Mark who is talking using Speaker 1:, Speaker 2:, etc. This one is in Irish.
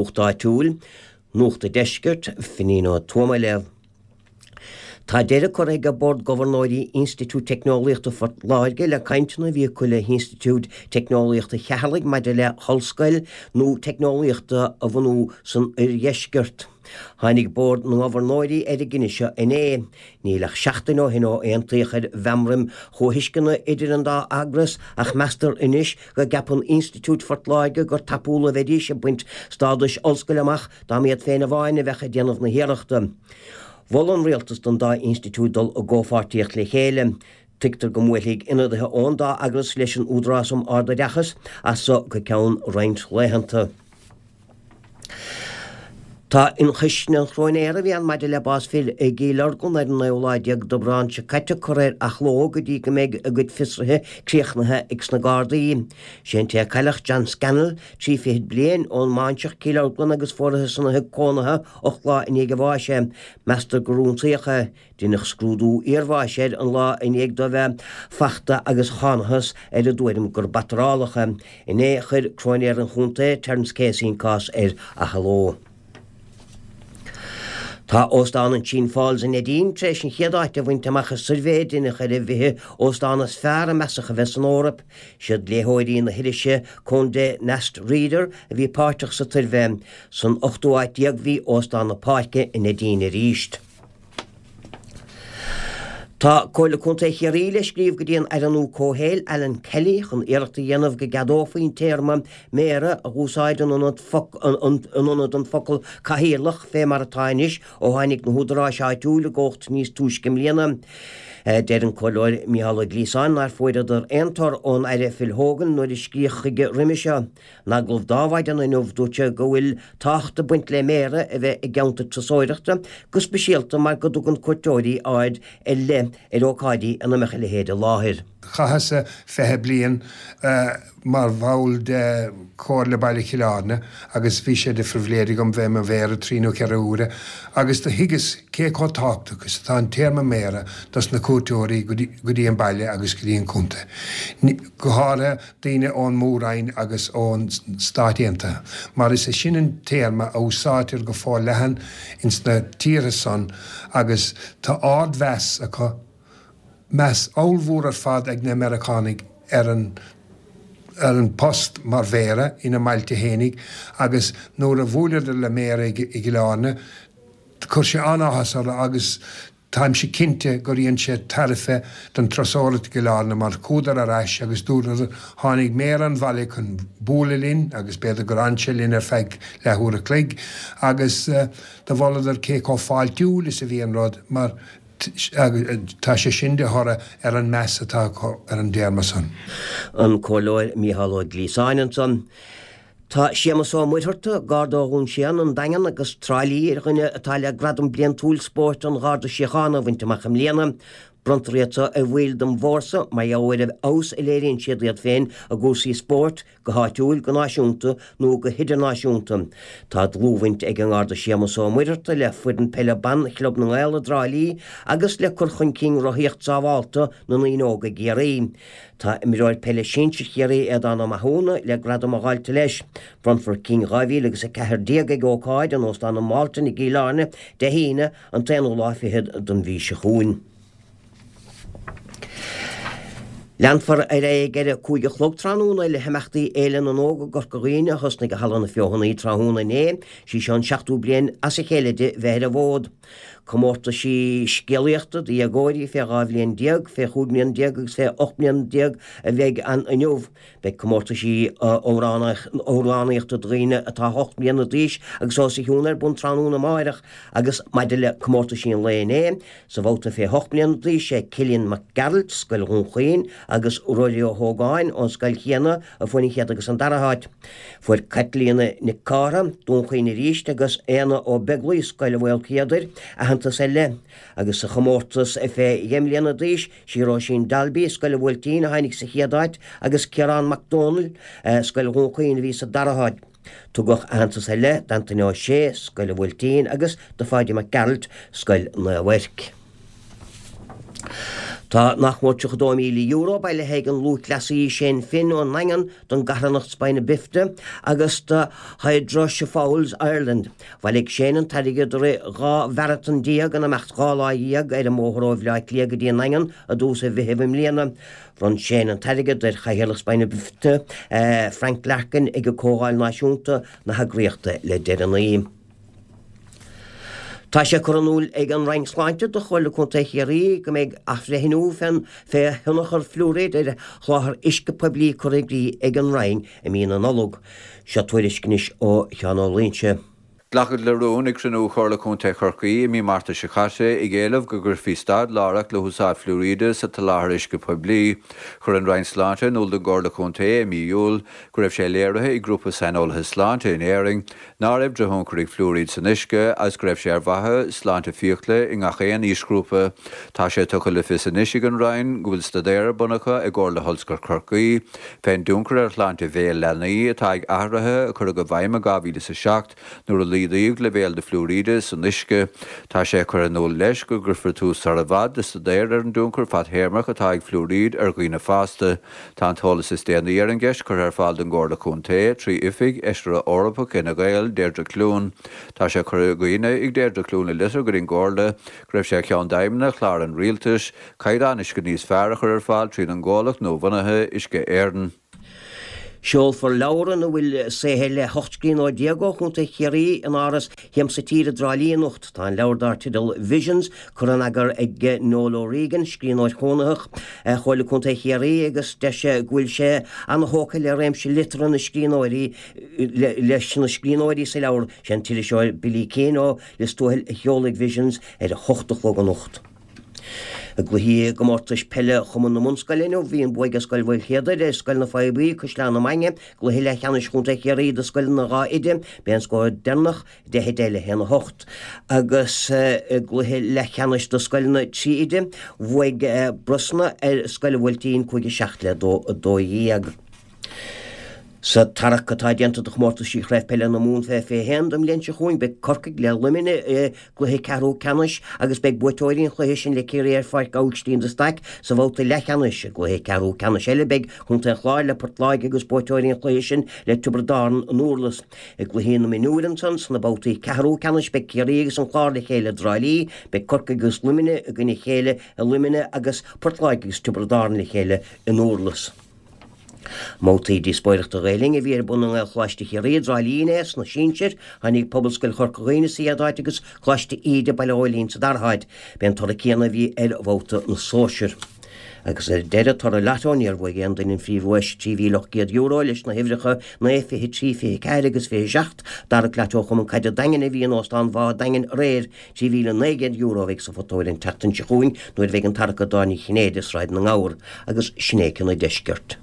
Speaker 1: Nuacht Áitiúil, Nuacht an Deiscirt, Finín Ó Tuama ag léamh. Tá deireadh curtha ag Bord Gobharnóirí Institiúid Teicneolaíochta Phort Láirge le cainteanna a bhí acu le hInstitiúid Teicneolaíochta Cheatharlaigh maidir le hollscoil nua teicneolaíochta a bhunú san oirdheisceart. Tháinig Bord na nGobharnóirí ar an gcinneadh seo inné. Níl ach seachtain ó shin ó aontaíodh ar mheamraim chomhthuisceana idir an dá eagras ach meastar anois go gceapann Institiúid Phort Láirge gur tapúla a bheidís ag baint stádais ollscoile amach dá mb'iad féin amháin a bheadh ag déanamh na hiarrachta. Mhol an Rialtas don dá institiúid dul i gcomhpháirtíocht le chéile. Tuigtear go mbuailfidh ionadaithe ón dá eagras leis an Údarás um Ard-Oideachas as so go ceann roinnt laethanta. Tá ionchoisne an chróinéara a bhí ann maidir le bás fir i gCill Orglan ar an naoú lá déag d'Aibreán seo caite curtha ar athló go dtí go mbeidh a gcuid fiosruithe críochnaithe ag sna Gardaí. Sé an té a cailleadh, John Scannell, 23 fichead bliain, ón mBáinseach, Cill Orglan agus fuarathas ina thigh cónaithe 8 lá i ndiaidh a bháis é. Meastar gur ionsaíodh é. Deineadh scrúdú iarbháis air an lá i ndiaidh dó bheith fachta agus thánathas ar an dtuairim gur bataráladh é. Inné chuir Cróinéir an Chontae, Terence Casey an cás ar athló. Tá Óstán an Sheen Falls i Neidín tar éis an chéad áit a bhaint amach i suirbhé a deineadh ar an bhfiche óstán is fearr a measadh a bheith san Eoraip. Siad léitheoirí na hirise Condé Nast Reader a bhí páirteach sa tsuirbhé. San ochtú áit déag bhí Óstán na Páirce i Neidín arís. Tá Comhairle Contae Chiarraí le scríobh go dtí an Aire nua Comhshaoil, Alan Kelly, chun iarracht a dhéanamh go gceadófaí an téarma 'Méara' a dh'úsáid in ionad an focal 'Cathaoirleach' fé mar atá anois ó tháinig na húdaráis áitiúil i gcumhacht níos túisce i mbliana. Deir an Comhairleoir Mícheál Ó Gliasáin nár fuaireadar aon tor ón Aire Phil Hogan nuair a scríodh chuige roimhe seo. In agallamh d'Adhmhaidin inniu dúirt sé go bhfuil tábhacht ag baint le Méara a bheith i gceantar turasóireachta, go speisialta mar go dtugann cuairteoirí aird ar leith ar ócáidí ina mbeadh a leithéid i láthair.
Speaker 2: Chaitheas-sa 20 bliain mar bhall de Chomhairle Baile Chill Airne agus bhí sé de phribhléid agam bheith i mo Mhéara trí nó cheithre huaire agus do thuigeas cé chomh tábhachtach is atá an téarma Méara dos na cuairteoirí go dtí an baile agus go dtí an contae. Go háirithe daoine ón Mór-Roinn agus ón Stáit Aontaithe, mar is é sin an téarma a úsáidtear go forleathan ins na tíortha san agus tá ard-mheas acu, meas ollmhór ar fad ag na Meiriceánaigh ar an ar an post mar Mhéara ina mbailte fhéinig agus nuair a bhuaileadar le Méara i gCill Airne chuir sé an-áthas orthu agus Táimse cinnte gur dhein sé tairbhe don turasóireacht i gCill Airne mar chuadar ar ais agus dúradar tháinig Méara an bhaile chun bualadh linn agus b'fhéidir gur fhan sé linn ar feadh leath uair a chloig agus do mholadar cé chomh fáiltiúil is a bhí an rud mar tá sé sin de thoradh ar an meas atá acu ar an dtéarma san.
Speaker 1: An Comhairleoir Mícheál Ó Gliasáin ansan. Tá Séamus Ó Muircheartaigh, Garda ó Dhún Séanna, an Daingean agus Trá Lí ar dhuine atá le Gradam Bliantúil Spóirt an Gharda Síochána a bhaint amach i mbliana. Bronntar iad seo ar bhaill den bhfórsa mar gheall ar an bhfeabhas a léiríonn siad iad féin i gcúrsaí spóirt, go háitiúil, go náisiúnta nó go hidirnáisiúnta. Tá dlúthbhaint ag an nGarda Séamus Ó Muircheartaigh le foireann peile ban Chlub na nGael i dTrá Lí agus le cur chun cinn rothaíocht sábhálta na ndaoine óga i gCiarraí. Tá imreoir peile sinsir Chiarraí Aodán Ó Mathúna le gradam a dháileadh leis. Bronnfar cinn 2014 ag ócáid in Óstán an Mhalton i gCill Airne Dé hAoine an t-aonú lá fichead den mhí seo chugainn. Leanfar ar aghaidh ar a 5 a chlog tráthnóna le himeachtaí Fhéile na nÓg i gCorca Dhuibhne a thosnaigh i Halla na Feothanaí tráthnóna inné. Sí seo an seachtú bliain as a chéile di bheith ar an bhfód. Comórtaisí scéalaíochta do dhéagóirí fé 12 bhliain, fé 15 mbliana agus fé 18 mbliana a bheidh ann inniu. Beidh comórtaisí amhránaíochta do dhaoine atá 8 mbliana d'aois agus os a chionn ar bun tráthnóna amáireach agus maidir le comórtaisí an lae inné, sa bhabhta fé 8 mbliana d'aois sé Cillian Mac Gearailt, Scoil Dhún Chaoin, agus Ruairí Ó hÓgáin ón scoil chéanna a fuair an chéad agus an dara háit. Fuair Caitlíona Nic Cártha, Dún Chaoin arís, agus Éanna Ó Beaglaoi, Scoil Mhaolchéadair, aitheantas ar leith. Agus sa chomórtas fé dheich mbliana d'aois, sí Róisín Dalby, Scoil an Bhuailtín, a tháinig sa chéad áit agus Ciarán Mac Dónaill, Scoil Dhún Chaoin, a bhí sa dara háit. Tugadh aitheantas ar leith d'Antaine Ó Sé, Scoil an Bhuailtín, agus do Pháidí Mac Gearailt, Scoil Naomh Eirc. Tá nach mór €32,000 bailithe ag an lúthchleasaí Shane Finn ón nDaingean don gcarthanacht Spina Bifida agus do Hydrocephalus Ireland. Bhailigh Shane an t-airgead i rith 12 mharatón in imeacht 12 lá ar an mbóthar ó Bhleá Cliath go dtí an nDaingean i dtús mhí Mheithimh i mbliana. Bhronn Shane an t-airgead ar Chathaoirleach Spina Bifida, Frank Larkin ag Comhdháil Náisiúnta na heagraíochta le deireanaí. Tá sé curtha in iúl ag an Roinn Sláinte do Chomhairle Contae Chiarraí go mbeidh athbhreithniú fé thionchar fluairíd ar sholáthar uisce poiblí curtha i gcrích ag an Roinn i mí na Nollag. Seo tuairisc anois ó Sheán Ó Loingsigh.
Speaker 3: Glacadh le rún ag cruinniú Chomhairle Contae Chorcaí i mí Márta seo caite ag éileamh go gcuirfí stad láithreach le húsáid fluairíde sa tsoláthar uisce poiblí. Chuir an Roinn Sláinte in iúl don gComhairle Contae i mí Iúil go raibh sé léirithe ag grúpa saineolaithe sláinte in Éirinn ná raibh drochthionchar ag fluairíd san uisce agus go raibh sé ar mhaithe sláinte fiacla i ngach aon aoisghrúpa. Tá sé tugtha le fios anois ag an Roinn go bhfuil staidéar ar bun acu i gcomhar le hOllscoil Chorcaí fén dtionchar ar shláinte bhéil leanaí atá ag athruithe a cuireadh i bhfeidhm i 2007 nuair a laghdaíodh leibhéil na fluairíde san uisce. Tá sé curtha in iúl leis go gcuirfear tús sar i bhfad le staidéar ar an dtionchar fadthéarmach atá ag fluairíd ar dhaoine fásta. Tá an t-eolas is déanaí ar an gceist curtha ar fáil don gComhairle Contae trí Oifig Fheisire Eorpach Fhine Gael, Deirdre Clune. Tá sé curtha i gcuimhne ag Deirdre Clune i litir go dtí an gComhairle go raibh sé ar cheann d'aidhmeanna chlár an Rialtais, caighdeán uisce níos fearr a chur ar fáil tríd an gcomhlacht nuabhunaithe, Uisce Éireann.
Speaker 1: Seolfar leabhar ina bhfuil saothair le 18 scríbhneoir ó Chontae Chiarraí in Áras Shiamsa Tíre i dTrá Lí anocht. Tá an leabhar dar teideal Visions curtha in eagar ag Noel O'Regan, scríbhneoir chónaitheach Chomhairle Contae Chiarraí agus deir sé go bhfuil sé ana-thógtha le réimse liteartha na scríbhneoirí leis na scríbhneoirí sa leabhar. Sé an t-iriseoir Billy Keane ó Lios Tuathail a sheolfaidh Visions ar a hocht a chlog anocht. I gcluichí i gcomórtais peile Chumann na mBunscoileanna inniu, bhí an bua ag Scoil Mhaoilchéadair ar Scoil na Faighe Buí, Caisleán na Mainge, i gcluiche leathcheannais Chontae Chiarraí do scoileanna 2 oide. B'é an scór deireanach 10 10 le 1 8. Agus i gcluiche leathcheannais do scoileanna 3 oide, bhuaigh Brosna ar Scoil an Bhuailtín 5 7 le 2 12. Sa tarrac atá déanta do chomórtaisí Chraobh Peile na Mumhan fé 21 don mbliain seo chugainn, beidh Corcaigh le Luimneach i gcluiche ceathrú ceannais agus beidh buaiteoirí an chluiche sin le Ciarraí ar Pháirc Aibhistín de Staic sa bhabhta leathcheannais. I gcluiche ceathrú ceannais eile, beidh Contae an Chláir le Port Láirge agus buaiteoirí an chluiche sin le Tiobraid Árann i nDurlas. I gcluichí na mionúir ansan, sna babhtaí ceathrú ceannais, beidh Ciarraí agus an Clár le chéile i dTrá Lí, beidh Corcaigh agus Luimneach i gcoinne a chéile i Luimneach agus Port Láirge agus Tiobraid Árann le chéile i nDurlas. I mbabhtaí díospóireachta Ghael Linn a bhí ar bun i nGaelcholáiste Chiarraí i dTrá Lí inné sna sinsir, tháinig Pobalscoil Chorca Dhuibhne sa chéad áit agus Coláiste Íde, Baile Ghóilín sa dara háit. B'é an toradh céanna a bhí ar bhabhta na sóisear. Agus ar deireadh, toradh Lotto, níor bhuaigh aon duine an phríomhdhuais, €3,800, leis na huimhreacha 9, 23, 24 agus 27. I dtarrac Lotto Chumann Caide an Daingin a bhí in Óstán Bhá an Daingin aréir, €3,900 a bheidh sa phota óir an tseachtain seo chugainn nuair a bheidh an tarrac ag Dáil Ní Chinnéide i Sráid na nGabhar agus sin é cionn an deiscirt.